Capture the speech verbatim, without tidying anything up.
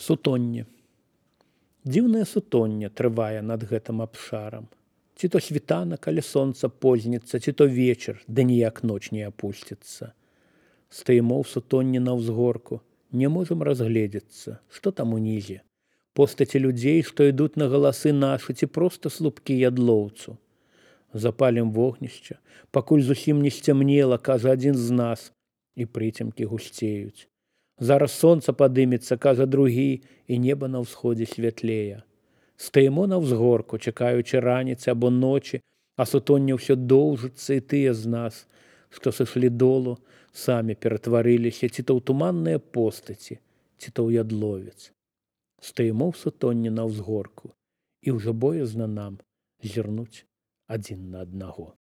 Сутонне. Дзіўнае сутонне трывае над гэтым абшарам. Ці то світанак, але сонца позніцца, ці то вечар, ды ніяк ноч не апусціцца. Стаімо ў сутонне на ўзгорку, не можам разгледзецца, што там унізе. Постаці людзей, што ідуць на галасы нашы, ці проста слупкі ядлоўцу. Запалім вогнішча, пакуль зусім не сцямнела, кажа адзін з нас, і прыцемкі гусцеюць. Зараз сонца падымецца, кажа другі, і неба на ўсходзе святлее. Стаімо на ўзгорку, чакаючы раніцы або ночі, а сутонне ўсё доўжыцца, і тыя з нас, што сышлі долу, самі ператварыліся ці то ў туманныя постаці, ці то ў ядловец. Стаімо ў сутонне на ўзгорку, і ўжо боязна нам зірнуць адзін на аднаго.